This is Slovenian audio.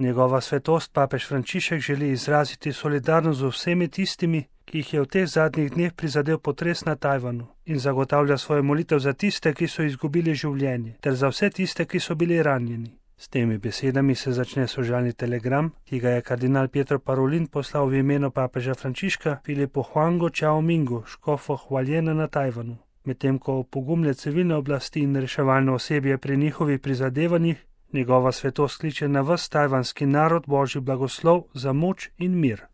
Njegova svetost papež Frančišek želi izraziti solidarnost z vsemi tistimi, ki jih je v teh zadnjih dneh prizadel potres na Tajvanu, in zagotavlja svojo molitev za tiste, ki so izgubili življenje, ter za vse tiste, ki so bili ranjeni. S temi besedami se začne sožalni telegram, ki ga je kardinal Pietro Parolin poslal v imenu papeža Frančiška Filipu Huangu Čaomingu, škofu Hualjena na Tajvanu. Medtem ko opogumlja civilne oblasti in reševalno osebje pri njihovih prizadevanjih, njegova svetost kliče na ves tajvanski narod božji blagoslov za moč in mir.